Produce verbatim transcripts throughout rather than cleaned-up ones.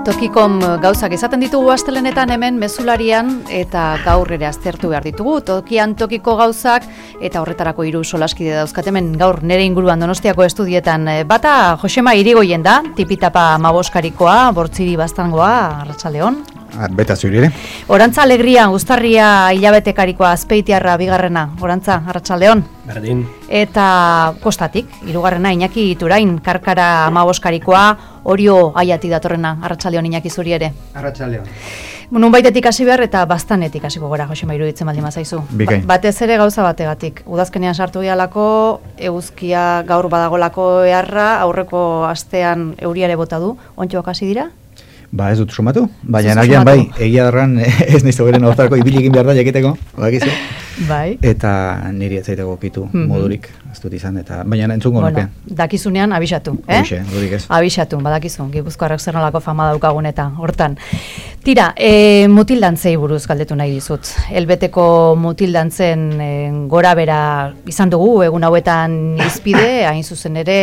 Tokikom gauzak izaten ditugu astelenetan hemen mezularian eta gaur ere aztertu behar ditugu. Tokian tokiko gauzak eta horretarako hiru solaskide dauzkat hemen gaur nere inguruan Donostiako estudietan. Bata Josema Irigoyen da, tipitapa maboskarikoa, bortziri baztangoa, arratsaldeon. Beta zuri ere. Orantza Alegria, Uztarria hilabetekarikoa, Azpeitiarra bigarrena, Orantza, arratsaldeon. Berdin. Eta kostatik, hirugarrena Iñaki Iturain, Karkara hamaboskarikoa, Orio Aiati datorrena, arratsaldeon Iñaki zuri ere. Arratsaldeon. Nun baitetik hasi behar eta bastanetik hasiko gora, Josema, iruditzen baldin bazaizu. Bikain. Ba, batez ere gauza bategatik. Udazkenean sartu gehalako, eguzkia gaur badagolako eharra, aurreko astean euriare bota du. Ontxoak hasi dira? Ba, ez dut sumatu, baina nagian bai, egia darran ez nahiz beren hortarako ibili egin behar da jakiteko, bakizu. Bai. Eta niri ez zaiteko kitu mm-hmm. modurik, ez dut izan, eta baina entzungo bueno, nuke. Dakizunean abisatu, eh? Hoxe, dudik ez. Abisatu, badakizu, Gipuzkoarrak zer nolako fama daukagun eta hortan. Tira, e, mutildantzei buruz galdetu nahi dizut. Elbeteko mutildantzen e, gora bera izan dugu, egun hauetan izpide, hain zuzen ere,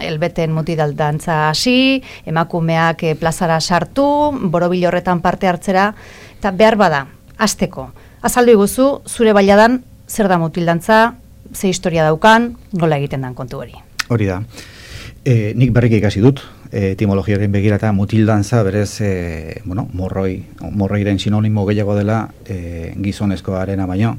elbeten mutildantza hasi, emakumeak e, plazara sartu, borobil horretan parte hartzera, eta behar bada, hasteko. Azaldu iguzu, zure bailadan, zer da mutildantza, ze historia daukan, nola egiten dan kontu hori. Hori da. E, nik berriki ikasi dut, e, etimologiaren begirata mutildantza berez, e, bueno, morroi, morroiren sinonimo gehiago dela e, gizonezkoarena baino,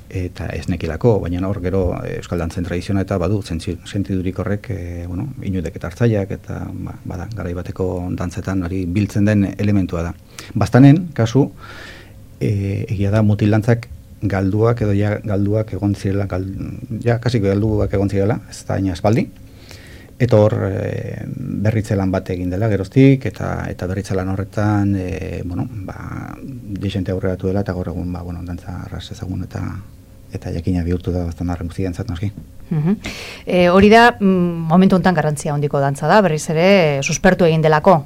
eta ez nekilako, baina hor gero euskal dantzen tradizioa eta badu sentidurik horrek, e, bueno, inudek eta hartzaiak eta ba, bada, garai bateko dantzetan hori biltzen den elementua da. Bastanen, kasu, e, egia da mutildantzak galduak edo ja galduak egon zirela, gal, ja kasik galduak egon zirela, ez da ina espaldi. Eta hor e, berritzelan bat egin dela geroztik, eta eta berritzelan horretan, e, bueno, ba, desente aurreratu dela, eta gaur egun, ba, bueno, dantza arras ezagun eta eta jakina bihurtu da bastan arren guzti dantzat noski. Uh-huh. E, hori da, mm, momentu honetan garrantzia handiko dantza da, berriz ere suspertu egin delako.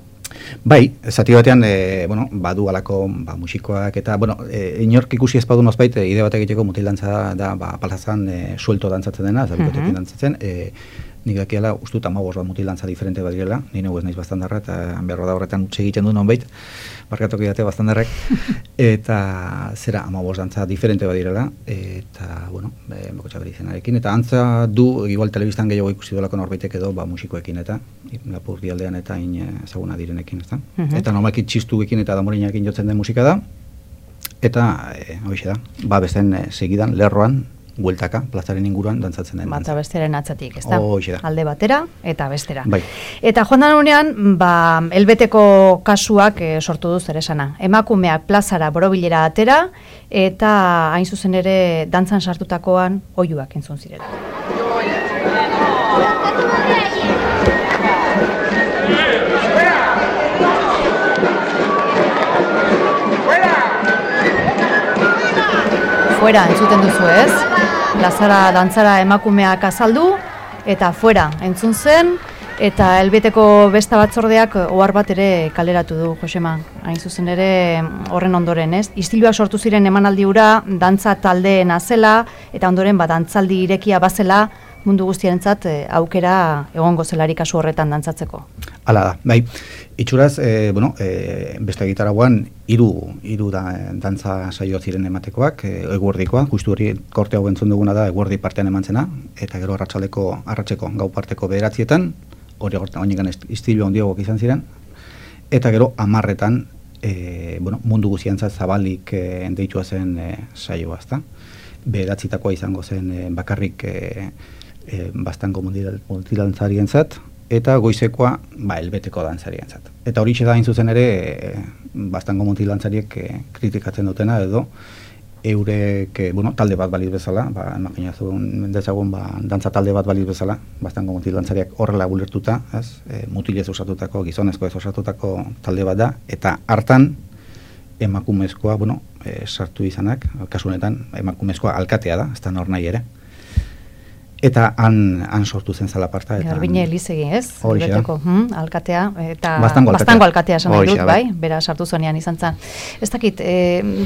Bai, zati batean, e, bueno, badu alako ba, musikoak eta, bueno, e, inork ikusi ez badu nozbait, e, ide bat egiteko mutildantza da, ba, palazan e, suelto dantzatzen dena, zabikotekin uh-huh. dantzatzen, e, nik dakiala, uste dut amabos bat mutilantza diferente bat direla, nire ez naiz bastandarra, eta behar da horretan utxe egiten du nonbait, barkatuko idate bastandarrek, eta zera amabos dantza diferente bat direla, eta, bueno, meko txaberi izenarekin, eta antza du, igual telebistan gehiago ikusi dolako norbaitek edo, ba, musikoekin eta, Lapurdi aldean eta in ezaguna direnekin, ezta? Uh-huh. Eta normalki txistuekin eta damorinakin jotzen den musika da, eta, e, hoxe da, ba, besten e, segidan, lerroan, bueltaka, plazaren inguruan dantzatzen den. Bata besteren atzatik, ez da? Hoxe da. Alde batera eta bestera. Bai. Eta joan dan unean, ba, elbeteko kasuak e, sortu du zer esana. Emakumeak plazara borobilera atera, eta hain zuzen ere dantzan sartutakoan oihuak entzun zirela. Fuera, entzuten duzu ez? Plazara dantzara emakumeak azaldu, eta fuera, entzun zen, eta elbeteko besta batzordeak ohar bat ere kaleratu du, Josema. Hain zuzen ere horren ondoren, ez? Istiluak sortu ziren emanaldi hura, dantza taldeena zela, eta ondoren bat dantzaldi irekia bazela, mundu guztiarentzat e, aukera egongo zelari kasu horretan dantzatzeko. Hala da, bai. Itxuraz, e, bueno, e, beste gitaragoan hiru hiru da dantza saio ziren ematekoak, e, eguerdikoa, justu hori korte hau entzun duguna da eguerdi partean emantzena, eta gero arratsaldeko arratseko gau parteko bederatzietan, hori horretan istilu handiagok izan ziren, eta gero hamarretan e, bueno, mundu guztiantzat zabalik e, deitua zen e, saioa, ezta? Bederatzitakoa izango zen e, bakarrik e, e, bastango multidantzarientzat, eta goizekoa ba, elbeteko dantzarientzat. Eta hori da hain zuzen ere e, bastango multidantzariek e, kritikatzen dutena edo eurek, e, bueno, talde bat baliz bezala, ba, imaginazun dezagun ba, dantza talde bat baliz bezala, bastango multidantzariak horrela gulertuta, ez? E, mutilez osatutako, gizonezko ez osatutako talde bat da, eta hartan emakumezkoa, bueno, e, sartu izanak, kasu honetan emakumezkoa alkatea da, ez da nor nahi ere. Eta han, han sortu zen zalaparta. Garbine Elizegi, ez? Elbeteko, hm, alkatea, eta bastango alkatea, bastango alkatea esan nahi dut, bai? Bera sartu zonean izan zen. Ez dakit, e,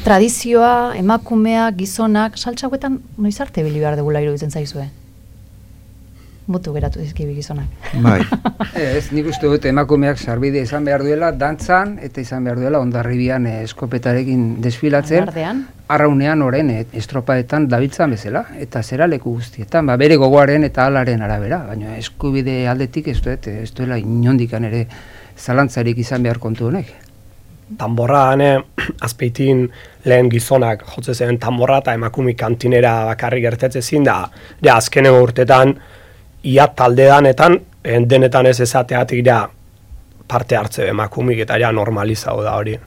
tradizioa, emakumea, gizonak, saltsa hauetan noiz arte bili behar degula iruditzen zaizue? mutu geratu dizkibi gizonak. Bai. Ez, nik uste dut emakumeak sarbide izan behar duela dantzan, eta izan behar duela Hondarribian eh, eskopetarekin desfilatzen, Alardean. arraunean oren eh, estropaetan dabiltzan bezala, eta zera leku guztietan, ba, bere gogoaren eta alaren arabera, baina eskubide aldetik ez duet, ez duela inondikan ere zalantzarik izan behar kontu honek. Tanborran, eh, Azpeitin lehen gizonak jotze zen tanborra eta emakume kantinera bakarrik gertetze zin da, ja, azkeneko urtetan, ia taldeanetan, denetan ez ezateatik ja, parte hartze emakumik eta ja normalizau da hori.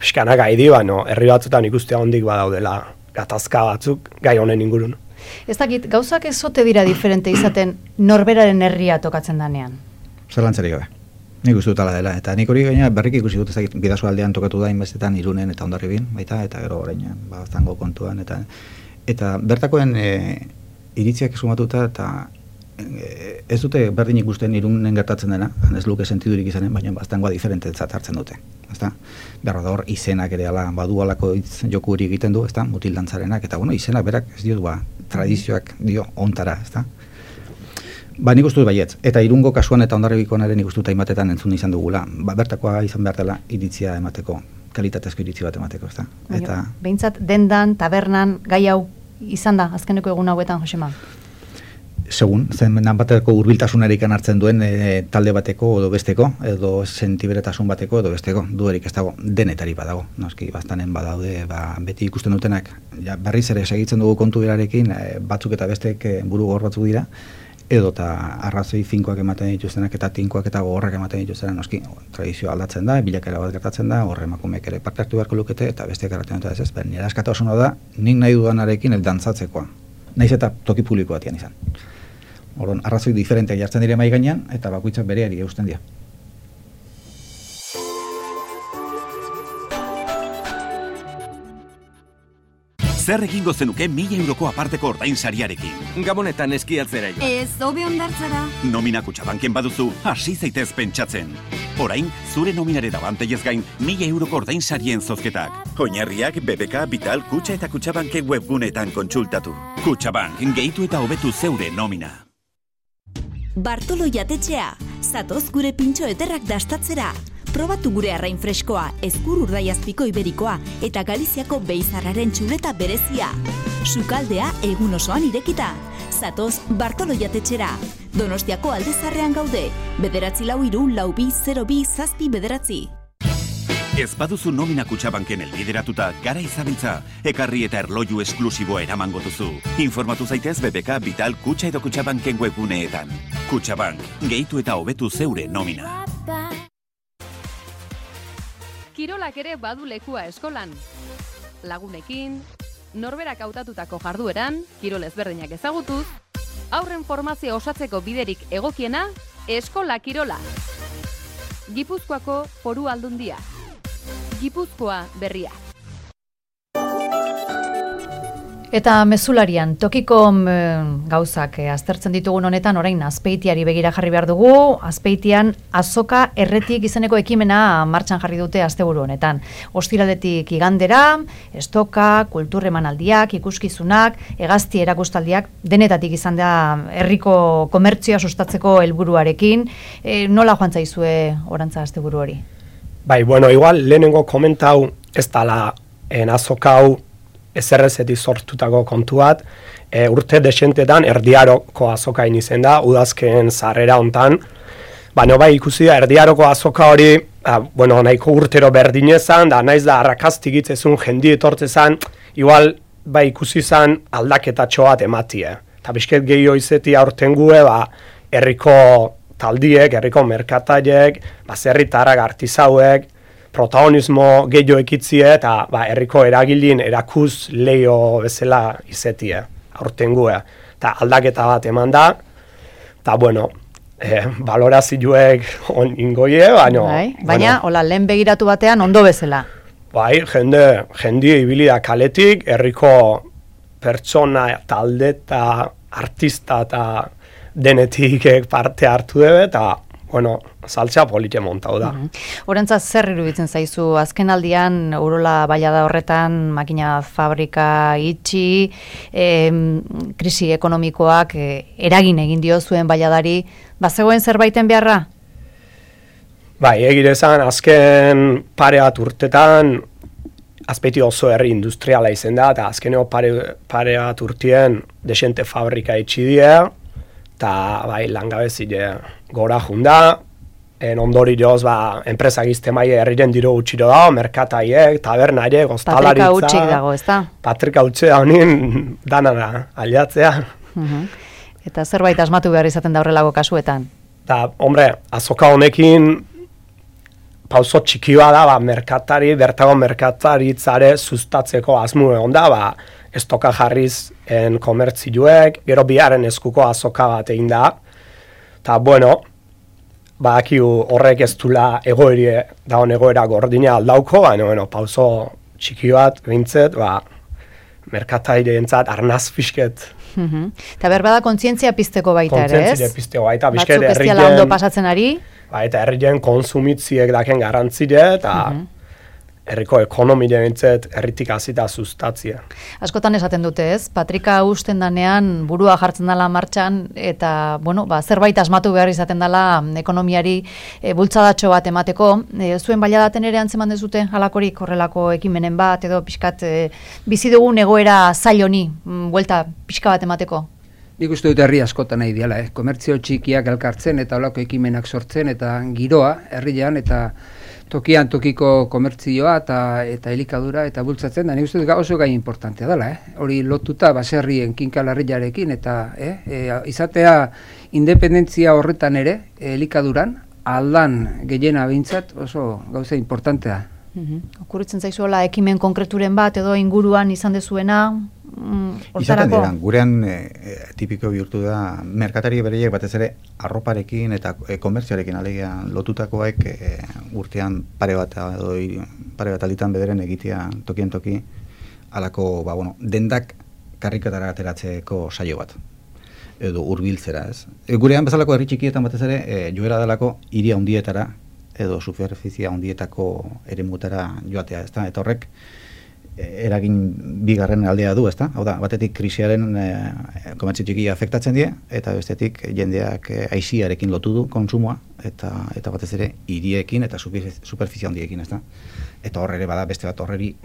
Piskanak gaidi, baino, herri batzutan ikustea hondik badaudela gatazka batzuk gai honen ingurun. Ez dakit, gauzak ez ote dira diferente izaten norberaren herria tokatzen danean? Zerlantzarik gabe. Nik uste dut ala dela, eta nik hori gaina berrik ikusi dut ezagit Bidasoa aldean tokatu da inbestetan Irunen eta Hondarribin, baita, eta gero orainan, ba, zango kontuan, eta eta bertakoen e, iritziak esumatuta, eta e, ez dute berdin ikusten Irunen gertatzen dena, ez luke sentidurik izanen, baina baztangoa diferentetzat hartzen dute, ezta? Berra da hor, izenak ere ala, badu alako hitz joku hori egiten du, ezta? Mutil dantzarenak, eta bueno, izenak berak ez dio, ba, tradizioak dio ontara, ezta? Ba, nik uste dut baietz, eta Irungo kasuan eta Hondarribikoan ere nik uste dut hainbatetan entzun izan dugula. Ba, bertakoa izan behar dela iritzia emateko, kalitatezko iritzi bat emateko, ezta? Eta behintzat dendan, tabernan, gai hau izan da, azkeneko egun hauetan, Josema? Segun, zen bateko hurbiltasunarik hartzen duen e, talde bateko edo besteko, edo sentiberetasun bateko edo besteko, duerik ez dago, denetari badago, noski, baztanen badaude, ba, beti ikusten dutenak, ja, berriz ere segitzen dugu kontu berarekin, e, batzuk eta bestek e, buru gogor batzuk dira, edo eta arrazoi finkoak ematen dituztenak eta tinkoak eta gogorrak ematen dituztenak, noski, tradizioa aldatzen da, bilakera bat gertatzen da, horre emakumeek ere parte hartu beharko lukete, eta besteak erraten dut ez ez, nire askatasuna da, nik nahi dudanarekin el dantzatzekoa, naiz eta toki publiko batian izan. Orduan, arrazoi diferenteak jartzen dire mai gainean, eta bakoitzak bereari eusten dira. Zer egingo zenuke mila euroko aparteko ordainsariarekin? Gabonetan eskiatzera jo. Ez, hobe ondartzara. Nomina Kutxabanken baduzu, hasi zaitez pentsatzen. Orain, zure nominare dabanteiez gain, mila euroko ordainsarien zozketak. Oinarriak B B K, Vital, Kutxa eta Kutxabanken webgunetan kontsultatu. Kutxabank, gehitu eta hobetu zeure nomina. Bartolo jatetxea, zatoz gure pintxo ederrak dastatzera. Probatu gure arrain freskoa, ezkur urdaiazpiko iberikoa eta Galiziako beizarraren txuleta berezia. Sukaldea egun osoan irekita. Zatoz Bartolo jatetxera. Donostiako Aldezarrean gaude. Bederatzi lau hiru lau bi zero bi zazpi bederatzi. Ez baduzu nomina Kutxabanken elbideratuta, gara izabiltza, ekarri eta erloju esklusiboa eramango duzu. Informatu zaitez B B K, Vital, Kutxa edo Kutxabanken webguneetan. Kutxabank, gehitu eta hobetu zeure nomina. Kirolak ere badu lekua eskolan. Lagunekin, norberak hautatutako jardueran, kirol ezberdinak ezagutuz, aurren formazio osatzeko biderik egokiena, Eskola Kirola. Gipuzkoako Foru Aldundia. Gipuzkoa berria. Eta mezularian, tokiko mm, gauzak eh, aztertzen ditugun honetan, orain Azpeitiari begira jarri behar dugu, Azpeitian azoka erretik izeneko ekimena martxan jarri dute asteburu honetan. Ostiraletik igandera, estoka, kultur emanaldiak, ikuskizunak, hegazti erakustaldiak, denetatik izan da herriko komertzioa sustatzeko helburuarekin. E, nola joan zaizue orantza asteburu hori? Bai, bueno, igual lehenengo komentau ez dala en azoka hau ezerrezetik sortutako kontu bat, e, urte desentetan erdiaroko azokain izen da, udazken zarrera hontan, baina bai ikusi da erdiaroko azoka hori, a, bueno, nahiko urtero berdinezan, da naiz da arrakaztik itzezun jendi etortzezan, igual bai ikusi zan aldaketatxo bat ematie. Eta bizket gehiago izeti aurten gue, ba, herriko taldiek, herriko merkataiek, baserritarrak, artizauek, protagonismo gehiago ekitzie eta ba, herriko eragilin erakuz leio bezala izetie, aurtengue. Eta aldaketa bat eman da, eta bueno, eh, balorazioek on ingoie, baina... Bai, baina, bueno, hola, lehen begiratu batean ondo bezala. Bai, jende, jende ibili da kaletik, herriko pertsona, talde eta artista eta denetik parte hartu debe, eta bueno, saltza polite montau da. Horentza zer iruditzen zaizu, azken aldian Urola Ballada horretan makina fabrika itxi, e, krisi ekonomikoak e, eragin egin dio zuen Balladari, bazegoen zerbaiten beharra? Bai, egirezan, azken pare bat urtetan, azpeti oso herri industriala izen da, eta azkeneo pare, pare bat urtien desente fabrika itxi die, eta bai, langabezile gora junda, en ondori joz, ba, enpresak izte maie herriren diro utxiro da, merkataiek, tabernaiek, ostalaritza. Patrika utxik dago, ez da? Patrika utxe da honin danara aliatzea. Uh-huh. Eta zerbait asmatu behar izaten da horrelako kasuetan? Eta, hombre, azoka honekin, pauso txikia da, ba, merkatari, bertago merkataritzare sustatzeko asmu egon da, ba, estoka jarriz en komertzioek, gero biaren eskuko azoka bat egin da, eta, bueno, badakigu horrek ez dula egoeri dagoen egoera gordina aldauko, baina, bueno, pauso txiki bat, bintzet, ba, merkataireentzat arnaz fisket. Uh-huh. Eta berbada kontzientzia pizteko baita ere, ez? Kontzientzia pizteko baita, bizket herrien... Batzuk ez diala ondo pasatzen ari? Ba, eta herrien konsumitziek daken garantzide, eta uh-huh. herriko ekonomide bintzet herritik azita sustatzia. Askotan esaten dute, ez? Patrika usten danean burua jartzen dela martxan, eta, bueno, ba, zerbait asmatu behar izaten dela ekonomiari e, bultzadatxo bat emateko. E, zuen Balladaten ere antzeman dezute, halakorik horrelako ekimenen bat, edo pixkat e, bizi dugun egoera zail honi, buelta pixka bat emateko? Nik uste dut herri askotan nahi diala, eh? Komertzio txikiak elkartzen eta holako ekimenak sortzen eta giroa herrian eta tokian tokiko komertzioa eta eta elikadura eta bultzatzen da. Nik uste dut oso gai importantea dela, eh? Hori lotuta baserrien kinkalarriarekin eta eh? E, izatea independentzia horretan ere elikaduran aldan gehiena behintzat oso gauza importantea. Uh-huh. Okurritzen zaizuela ekimen konkreturen bat edo inguruan izan dezuena, mm, izaten dira, gurean e, e, tipiko bihurtu da, merkatari bereiek batez ere arroparekin eta e, komertzioarekin alegia lotutakoek e, urtean pare bat edo pare bat alitan bederen egitea tokien toki alako, ba, bueno, dendak karrikatara ateratzeko saio bat edo hurbiltzera, ez. E, gurean bezalako herri txikietan batez ere e, joera delako hiria handietara edo superfizia handietako eremutara joatea, ezta? Eta horrek eragin bigarren aldea du, ezta? Hau da, batetik krisiaren e, komertzio txikia afektatzen die, eta bestetik jendeak e, aisiarekin lotu du kontsumoa, eta eta batez ere hiriekin eta superfizia handiekin, ezta? Eta horre ere bada beste bat horreri,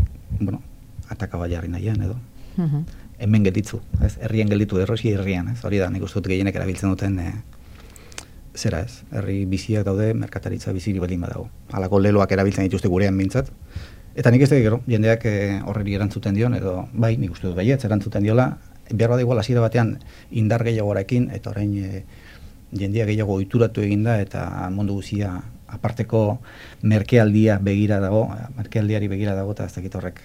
bueno, ataka jarri nahian edo. Uh-huh. Hemen gelditzu, ez? Herrien gelditu errosi herrian, ez? Hori da, nik uste dut gehienek erabiltzen duten e, zera ez, herri biziak daude, merkataritza biziri baldin badago. Halako leloak erabiltzen dituzte gurean mintzat. Eta nik ez da gero, jendeak e, horreri erantzuten dion, edo bai, nik uste dut baietz erantzuten diola, behar bada igual hasiera batean indar gehiagoarekin, eta orain e, jendea gehiago ohituratu eginda, eta mundu guzia aparteko merkealdia begira dago, merkealdiari begira dago, eta ez dakit horrek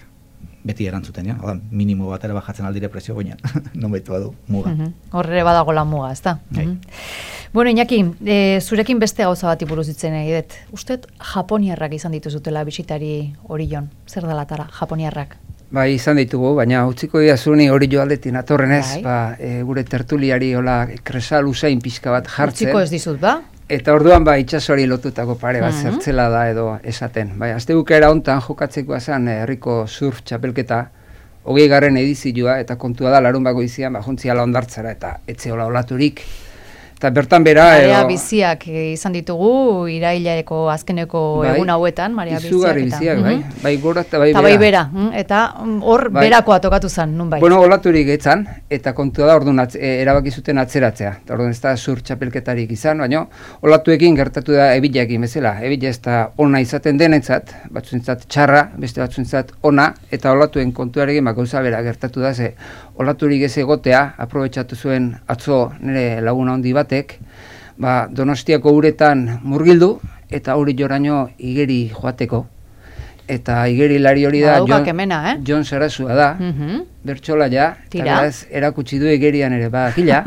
beti erantzuten, ja? Oda, minimo bat ere bajatzen aldire presio goinan, non baitu badu, muga. Uh-huh. Horre badago la muga, ez da? Uh-huh. Bueno, Iñaki, e, zurekin beste gauza bat buruz ditzen egidet. Usted japoniarrak izan dituzutela bisitari Orion. Zer da latara, japoniarrak? Bai, izan ditugu, baina utziko dira zuni hori joaldetin atorrenez, ba, e, gure tertuliari hola kresal usain pixka bat jartzen. Utziko ez dizut, ba? Eta orduan ba itxasori lotutako pare bat uh-huh. zertzela da edo esaten. Bai, azte bukera hontan jokatzeko zen herriko surf txapelketa, hogei garren edizioa, eta kontua da larun bako izian, ba, jontziala ondartzara eta etzeola olaturik. Eta bertan bera... Marea edo, biziak izan ditugu, iraileko azkeneko bai, egun hauetan, marea biziak. Izugarri biziak, bai. Mm-hmm. Bai gora eta bai bera. Bai bera, eta hor bai. Berakoa tokatu zen, nun bai. Bueno, olaturik etzan, eta kontua da orduan atz, e, erabaki zuten atzeratzea. Eta orduan ez da sur txapelketarik izan, baina olatuekin gertatu da ebilakin bezala. Ebila ez da ona izaten denentzat, batzuentzat txarra, beste batzuentzat ona, eta olatuen kontuarekin gauza bera gertatu da, ze olaturik ez egotea, aprobetxatu zuen atzo nire laguna handi batek, ba, Donostiako uretan murgildu, eta hori joraino igeri joateko. Eta igeri lari hori da, ba, Jon, kemena, eh? Jon Sarasua da, uh-huh. bertsola ja, eta erakutsi du igerian ere, ba, gila.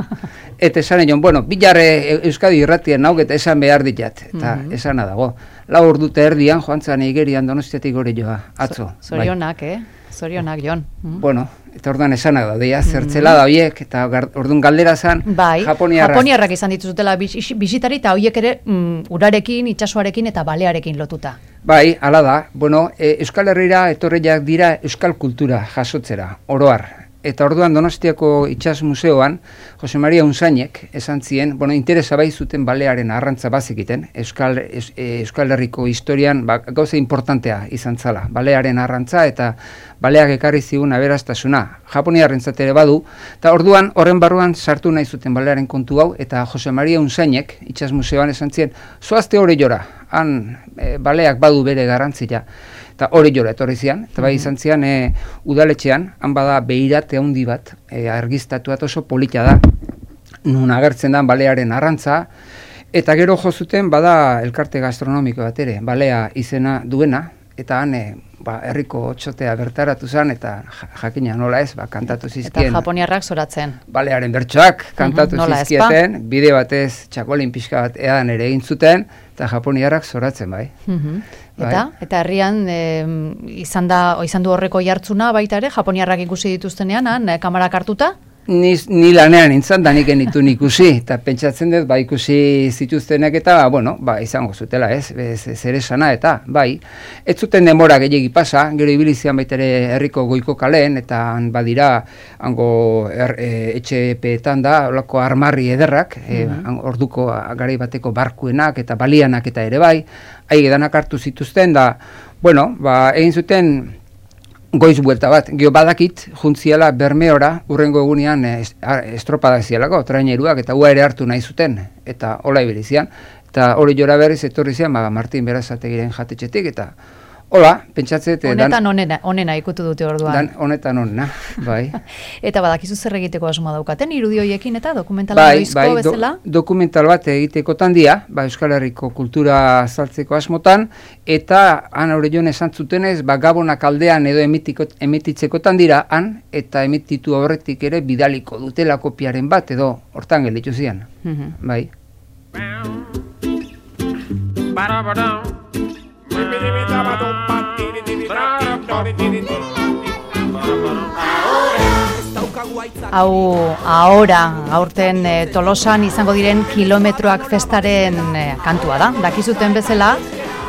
Eta esan egon, bueno, bilarre Euskadi irratien nauk eta esan behar ditat, eta uh-huh. esana dago. Lau ordute erdian, joan zan igerian Donostiatik hori joa, atzo. Zorionak, bai. eh? Zorionak, Jon. Mm. Bueno, Eta orduan esanak da, deia, zertzela da horiek, eta orduan galdera zen, bai, japoniarrak. Japoniarrak izan dituzutela bisitari, eta horiek ere mm, urarekin, itsasoarekin eta balearekin lotuta. Bai, hala da, bueno, e, Euskal Herrira etorriak dira euskal kultura jasotzera, oroar. Eta orduan Donostiako Itsas Museoan, Jose Maria Unsainek esan zien, bueno, interesa bai zuten balearen arrantza bazekiten, Euskal, es, Euskal Herriko historian ba, gauza importantea izan zala, balearen arrantza eta baleak ekarri zigun aberastasuna, Japoniarrentzat ere badu, eta orduan horren barruan sartu nahi zuten balearen kontu hau, eta Jose Maria Unsainek Itsas Museoan esan zien, zoazte hori jora, han e, baleak badu bere garrantzia. Eta hori jora etorri zian, eta bai izan zian e, udaletxean, han bada behirate handi bat, e, argiztatuat oso polita da, nun agertzen da balearen arrantza, eta gero jo zuten bada elkarte gastronomiko bat ere, balea izena duena, eta han e, ba, herriko txotea bertaratu zen, eta jakina nola ez, ba, kantatu zizkien. Eta japoniarrak zoratzen. Balearen bertsoak kantatu uh -huh, zizkieten, bide batez txakolin pixka bat edan ere egin zuten, eta japoniarrak zoratzen bai. Uh -huh. Eta, bai. Eta herrian e, izan, da, izan du horreko jartzuna baita ere, japoniarrak ikusi dituztenean, han, e, kamarak hartuta? Ni, ni lanean nintzen, da nik enitu ikusi, eta pentsatzen dut, ba, ikusi zituztenak eta, bueno, ba, izango zutela, ez, zer esana, eta, bai, ez zuten denbora gehiagi pasa, gero ibilizian baitere herriko goiko kalen, eta han badira, hango er, e, etxepeetan da, olako armarri ederrak, e, orduko garai bateko barkuenak eta balianak eta ere bai, haige danak hartu zituzten, da, bueno, ba, egin zuten, goiz buelta bat, gio badakit, juntziala Bermeora, urrengo egunean estropadak zialako, traineruak, eta ua ere hartu nahi zuten, eta hola ibilizian, eta hori jora berriz etorri zian, ba, Martin Berazategiren jatetxetik, eta hola, pentsatzet... Honetan onena, onena ikutu dute orduan. Dan, honetan onena, bai. Eta badakizu zer egiteko asmoa daukaten, irudioiekin eta dokumentala bai, noizko bai, bezala? Do, dokumental bat egitekotan dia, ba, Euskal Herriko kultura saltzeko asmotan, eta han aurre joan esan zutenez, ba, Gabonak aldean edo emitiko, emititzekotan dira, han, eta emititu horretik ere bidaliko dutela kopiaren bat, edo hortan gelditu zian, uh -huh. bai. Hau, ahora, aurten e, Tolosan izango diren kilometroak festaren e, kantua da. Dakizuten bezala,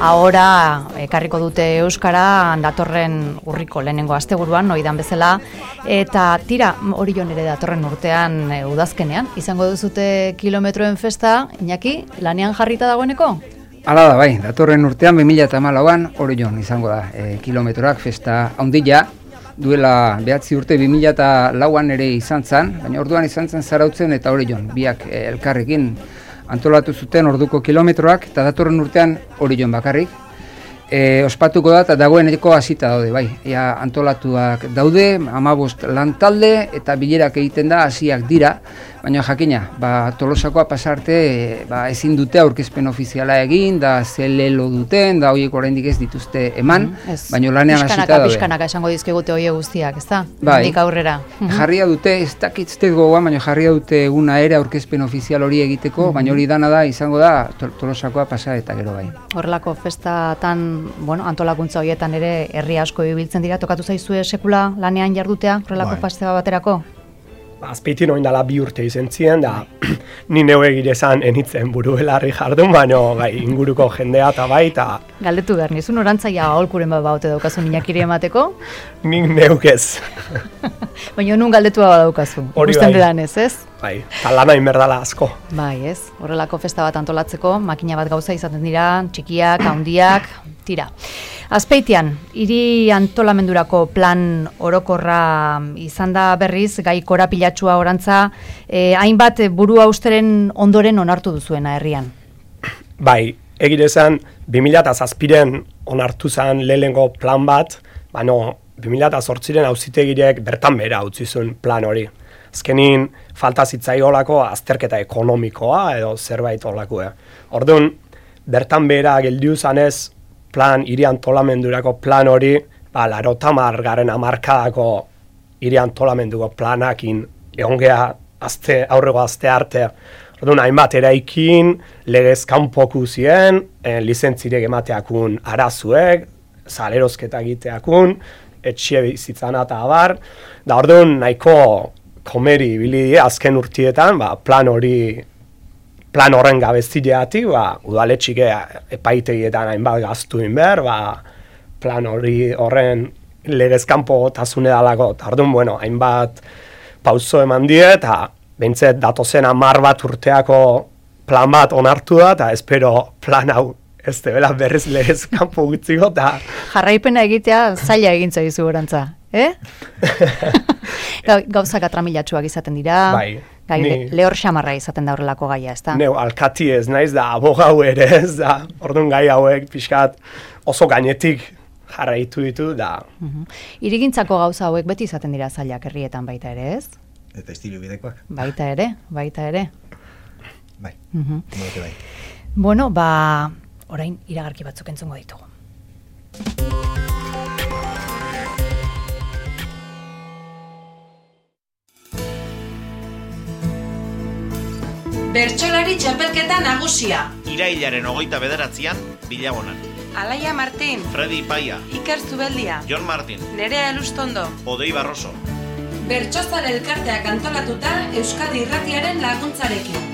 ahora ekarriko dute euskara datorren urriko lehenengo asteburuan, oidan bezala, eta tira, hori jon ere datorren urtean e, udazkenean, izango duzute kilometroen festa, Iñaki, lanean jarrita dagoeneko? Hala da, bai, datorren urtean bi mila hamalauan hori jon izango da, e, kilometroak festa handila, duela behatzi urte bi mila lauan ere izan zen, baina orduan izan zen Zarautzen eta hori jon, biak e, elkarrekin antolatu zuten orduko kilometroak, eta datorren urtean hori jon bakarrik. E, ospatuko da, eta dagoeneko hasita daude, bai, ea antolatuak daude, hamabost lantalde, eta bilerak egiten da, hasiak dira, baina jakina, ba, Tolosakoa pasarte, ba, ezin dute aurkezpen ofiziala egin, da zelelo duten, da horiek oraindik ez dituzte eman, mm, baina lanean hasita daude. Pixkanaka esango dizkigute hoie guztiak, ez da? Bai, Nik aurrera. Jarria dute, ez dakitztez gogoan, baina jarria dute eguna ere aurkezpen ofizial hori egiteko, mm-hmm. baina hori dana da, izango da, Tolosakoa pasa eta gero bai. Horrelako festatan, bueno, antolakuntza horietan ere herri asko ibiltzen dira, tokatu zaizue sekula lanean jardutea, horrelako festa baterako? Azpeitin oin dala bi urte izen ziren, da ni neu egirezan enitzen buru belarri jardun, baina gai, inguruko jendea eta bai, eta... Galdetu behar, nizun orantzaia aholkuren bat baute daukazu Iñakiri emateko? Nik neuk ez. Baina nun galdetua badaukazu, ikusten dedan ez, ez? Bai, eta lana inberdala asko. Bai, ez, horrelako festa bat antolatzeko, makina bat gauza izaten dira, txikiak, handiak, tira. Azpeitian, hiri antolamendurako plan orokorra izan da berriz, gai korapilatxua orantza, eh, hainbat buru austeren ondoren onartu duzuena herrian. Bai, egirezan, bi mila zazpiren onartu zen lehengo plan bat, baina bi mila zortziren auzitegirek bertan bera utzi zuen plan hori. Azkenin, falta zitzaiolako azterketa ekonomikoa edo zerbait olako. Orduan, bertan bera geldiu zanez, plan, hiri antolamendurako plan hori, ba, larotamar garen amarkadako hiri antolamenduko planakin egongea azte, aurrego azte arte. Orduan, hainbat eraikin, legez kanpoku ziren, eh, lizentzirek emateakun arazuek, salerosketa egiteakun, etxe bizitzana eta abar, da orduan nahiko komeri ibili azken urtietan, ba, plan hori, plan horren gabezileatik, ba, udaletxik epaitegietan hainbat gaztu behar, ba, plan hori horren legezkanpo tasune dalako, eta orduan, bueno, hainbat pauso eman die, eta behintzet datozen hamar bat urteako plan bat onartu da, eta espero plan hau ez debela berriz legezkanpo gutziko, eta... Jarraipena egitea zaila egintza dizu gorantza, eh? Gauzak atramilatsuak izaten dira, bai, gai, ni, lehor xamarra izaten da horrelako gaia, ez da? Neu, alkati ez naiz da, abogau ere ez da, orduan gai hauek pixkat oso gainetik jarraitu ditu da. Uh-huh. Irigintzako gauza hauek beti izaten dira zailak herrietan baita ere, ez? Eta estilo bidekoak. Baita ere, baita ere. Bai, uh-huh. bai. Bueno, ba, orain iragarki batzuk entzungo ditugu. Bertsolari txapelketa nagusia. Irailaren hogeita bederatzian, Bilabonan. Alaia Martin. Fredi Paia. Iker Zubeldia. Jon Martin. Nerea Elustondo. Odei Barroso. Bertsozale elkarteak antolatuta Euskadi Irratiaren laguntzarekin.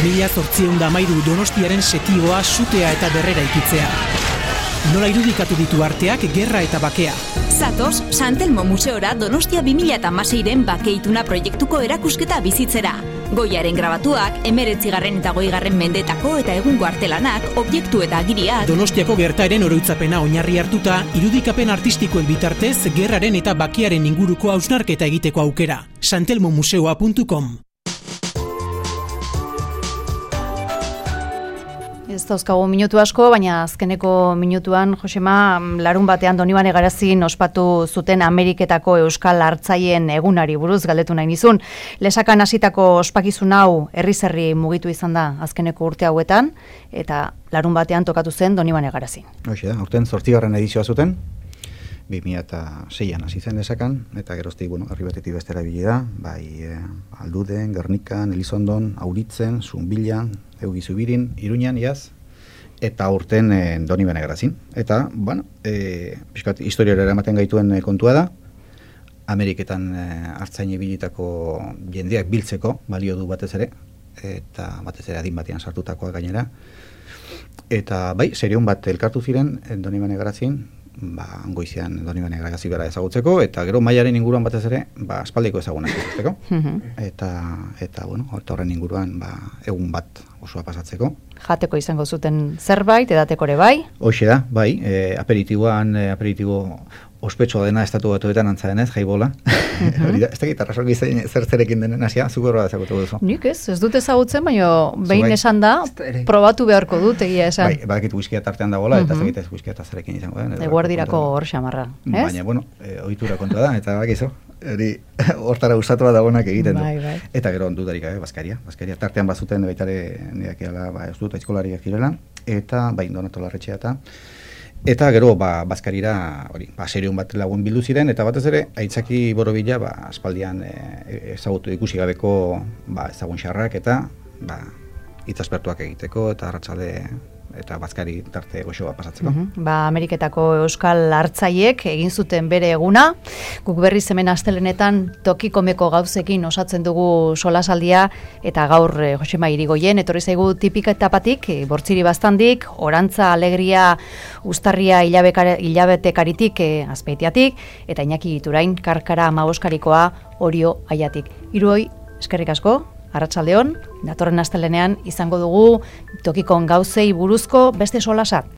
Mila zortziehun da hamairu Donostiaren setioa, sutea eta berrera ikitzea. Nola irudikatu ditu arteak gerra eta bakea. Zatoz, Santelmo Museora Donostia bi mila hamaseiren bakeituna proiektuko erakusketa bizitzera. Goiaren grabatuak, emeretzigarren eta goigarren mendetako eta egungo artelanak, objektu eta agiriak. Donostiako gertaeren oroitzapena oinarri hartuta, irudikapen artistikoen bitartez, gerraren eta bakearen inguruko hausnarketa egiteko aukera. santelmomuseoa puntu com. Ez dauzkagu minutu asko, baina azkeneko minutuan, Josema, larun batean Donibane Garazin ospatu zuten Ameriketako Euskal Hartzaien egunari buruz galdetu nahi nizun. Lesakan hasitako ospakizun hau herriz-herri mugitu izan da azkeneko urte hauetan, eta larun batean tokatu zen Donibane Garazin. Hoxe da, urten zortzigarren edizioa zuten, bi mila seian hasi zen Lesakan, eta geroztik, bueno, herri batetik bestera ibili da, bai eh, Alduden, Gernikan, Elizondon, Auritzen, Zunbilan, Eugi Zubirin, Iruñan, iaz, eta urten eh, Donibane Garazin. Eta, bueno, eh, pixkat historiara eramaten gaituen eh, kontua da, Ameriketan eh, hartzain ibilitako jendeak biltzeko balio du batez ere, eta batez ere adin batean sartutakoa gainera. Eta, bai, serion bat elkartu ziren eh, Donibane Garazin, ba, goizean Donibane Garazin bera ezagutzeko, eta gero mailaren inguruan batez ere, ba, aspaldiko ezagunak izateko. eta, eta, bueno, horren inguruan, ba, egun bat osoa pasatzeko. Jateko izango zuten zerbait, edateko ere bai? Hoxe da, bai, e, aperitiboan, e, aperitibo ospetsua dena estatu batuetan antza denez, jaibola. Hori da, ez da gitarra sorgi zer zerekin denen hasia, zuko horra ezagutu duzu. Nik ez, ez dut ezagutzen, baina behin bai. Esan da, probatu beharko dut, egia esan. Bai, badakit whiskia tartean dagoela, eta ez dakit ez whiskia tarterekin izango den. Eguerdirako hor xamarra, ez? Baina, bueno, e, ohitura kontua da, eta bakizu. Hori, hortara gustatu bat dagoenak egiten du. Bai, bai. Eta gero dudarik gabe, Baskaria. Baskaria tartean bazuten baitare nireak eala, ba, ez dut, aizkolariak girela, eta bai, Donato Larretxea eta eta gero, ba, Baskarira, hori, ba, serion bat lagun bildu ziren, eta batez ere, Aitzaki Borobila, ba, aspaldian e, ezagutu ikusi gabeko, ba, ezagun xarrak, eta, ba, itzaspertuak egiteko, eta arratsalde eta Baskari tarte goxoa pasatzeko. Uh-huh. Ba, Ameriketako Euskal Hartzaiek egin zuten bere eguna, guk berriz hemen astelenetan tokikomeko gauzekin osatzen dugu solasaldia, eta gaur eh, Josema Irigoien etorri zaigu tipika etapatik, eh, bortziri bastandik, orantza, alegria, uztarria hilabetekaritik eh, azpeitiatik, eta Iñaki Iturain karkara amaboskarikoa Orio Aiatik. Hiroi, eskerrik asko. Arratsaldeon, datorren astelenean izango dugu tokikon gauzei buruzko beste solasa.